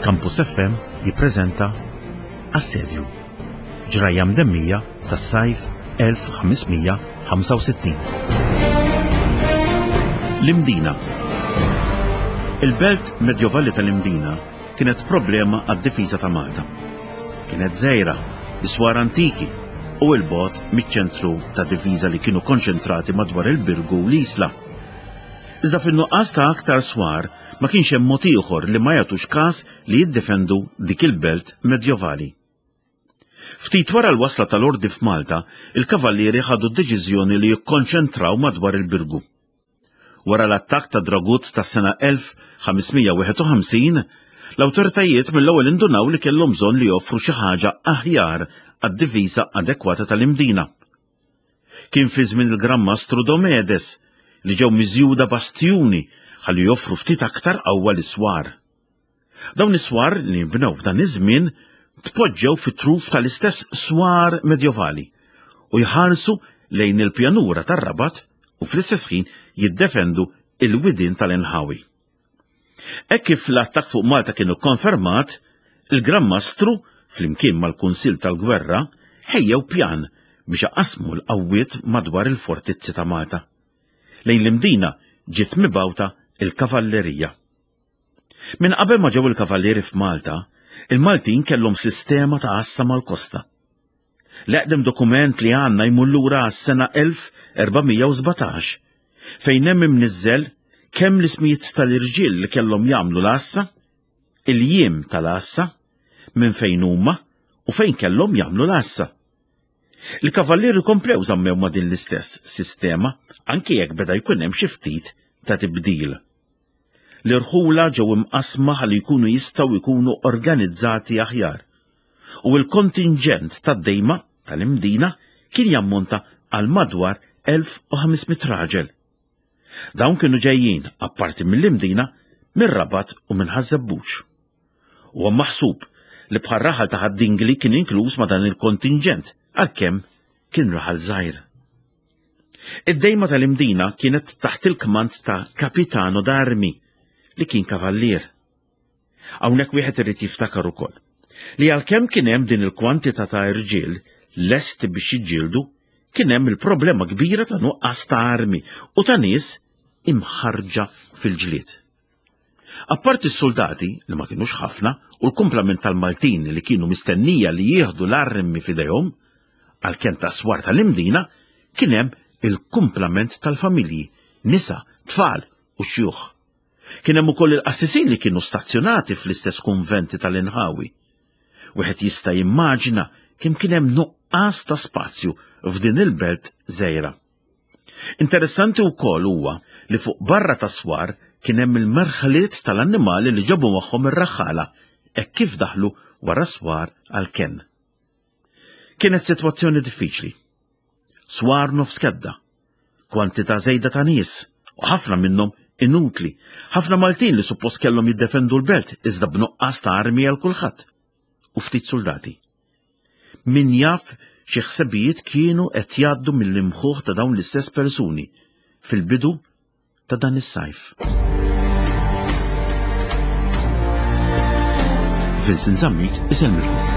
Campus FM jippreżenta Assedju, ġrajja mdemmija tas-sajf 1565. L-Imdina Il-belt medjovali tal-Imdina kienet problema għad-difiża ta' Malta. Kienet żgħira, bi swar antiki u 'l bogħod miċ-ċentru ta' difiża li kienu konċentrati madwar il-Birgu u l-Isla. Iżda fin-nuqqas ta' aktar swar, ma kienx hemm mod ieħor li ma jagħtux każ li jiddefendu dik il-belt medjovali. Ftit wara l-wasla tal-Ordi f'Malta, il-Kavallieri ħadu d-deċiżjoni li jikkonċentraw madwar il-Birgu. Wara l-attakk ta' Dragut tas-sena 1551, l-awtoritajiet mill-ewwel indunaw li kellhom bżonn li joffru xi ħaġa aħjar għad-difiża adekwata tal-Imdina. Kien fi żmien il-Gran Mastru Domedes li ġew miżjuda bastjuni ħalli joffru ftit aktar qawwa lis-swar. Dawn is-swar li nbnew f'dan iż-żmien tpoġġew fit-truf tal-istess swar medjovali u jħarsu lejn il-pjanura tar-Rabat u fl-istess ħin jiddefendu il-widien tal-inħawi. Hekk kif l-attakk fuq Malta kien ikkonfermat, il-Gran Mastru, flimkien mal-Kunsill tal-Gwerra, ħejjew pjan biex iqassmu l-qawwiet madwar il-fortizzi ta' Malta. Lejn l-Imdina ġiet mibgħuta l-kavallerija. Minn qabel ma ġew il-kavallieri f'Malta, il-Maltin kellhom sistema ta' għassa mal-kosta. L-eqdem dokument li għandna jmur lura għas-sena 1417, fejn hemm imniżżel kemm l-ismijiet tal-irġiel li kellhom jagħmlu l-għassa, il-jiem tal-għassa, minn fejn huma u fejn kellhom jagħmlu l-għassa. Il-kavallieri komplew żammew ma' din l-istess sistema anke jekk beda jkun hemm xi ftit ta' tibdil. L-irħula ġew imqassma ħalli jkunu jistgħu jkunu organizzati aħjar. U l-kontinġent tad-dejma tal-Imdina kien jammonta għal madwar 1500 raġel. Dawn kienu ġejjin, apparti mill-Imdina, mir-Rabat u minn Ħaż-Żebbuġ. Huwa maħsub li bħal raħal ta' Ħad-Dingli kien inkluż ma' dan il-kontinġent, għalkemm kien raħal żgħir. Id-dejma tal-Imdina kienet taħt il-kmand ta' Capitano d'Armi, li kien kavallier. Hawnhekk wieħed irid jiftakar ukoll li għalkemm kien hemm din il-kwantità ta' irġiel lesti biex jiġġieldu, kien hemm il-problema kbira ta' nuqqas ta' armi u ta' nies imħarġa fil-ġlied. Apparti s-suldati, li ma kinux ħafna, u l-kumplament tal-Maltin li kienu mistennija li jieħdu l-armi f'idejhom, għall-kenn tas-swar tal-Imdina, kien hemm il-kumplament tal-familji, nisa, tfal u xjuħ. Kien hemm ukoll il-qassisin li kienu stazzjonati fl-istess kunventi tal-inħawi. Wieħed jista' jimmaġina kemm kien hemm nuqqas ta' spazju f'din il-belt żgħira. Interessanti wkoll huwa li fuq barra tas-swar kien hemm il-merħliet tal-annimali li ġabu magħhom ir-raħħala hekk kif daħlu wara s-swar għall-kenn. Kienet sitwazzjoni diffiċli. Swar nofs kedda, kwantità żejda ta' nies u ħafna minnhom inutli, ħafna Maltin li suppost kellhom jiddefendu l-belt iżda b'nuqqas ta' armi għal kulħadd u ftit suldati. Min jaf xi ħsebijiet kienu qed jgħaddu mill-imħuħ ta' dawn l-istess persuni fil-bidu ta' dan is-sajf. Vincent Zammit isellmilkom.